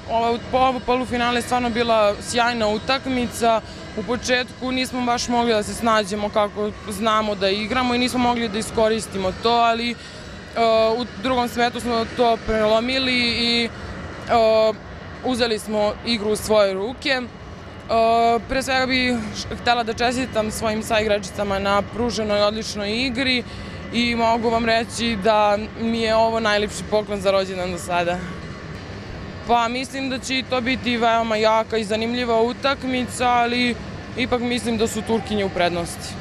Ovo polufinale je stvarno bila sjajna utakmica. U početku nismo baš mogli da se snađemo kako znamo da igramo i nismo mogli da iskoristimo to, ali u drugom setu smo to prelomili i uzeli smo igru u svoje ruke. Pre svega bih htela da čestitam svojim saigračicama na pruženoj odličnoj igri i mogu vam reći da mi je ovo najlepši poklon za rođendan do sada. Pa mislim da će to biti veoma jaka i zanimljiva utakmica, ali ipak mislim da su Turkinje u prednosti.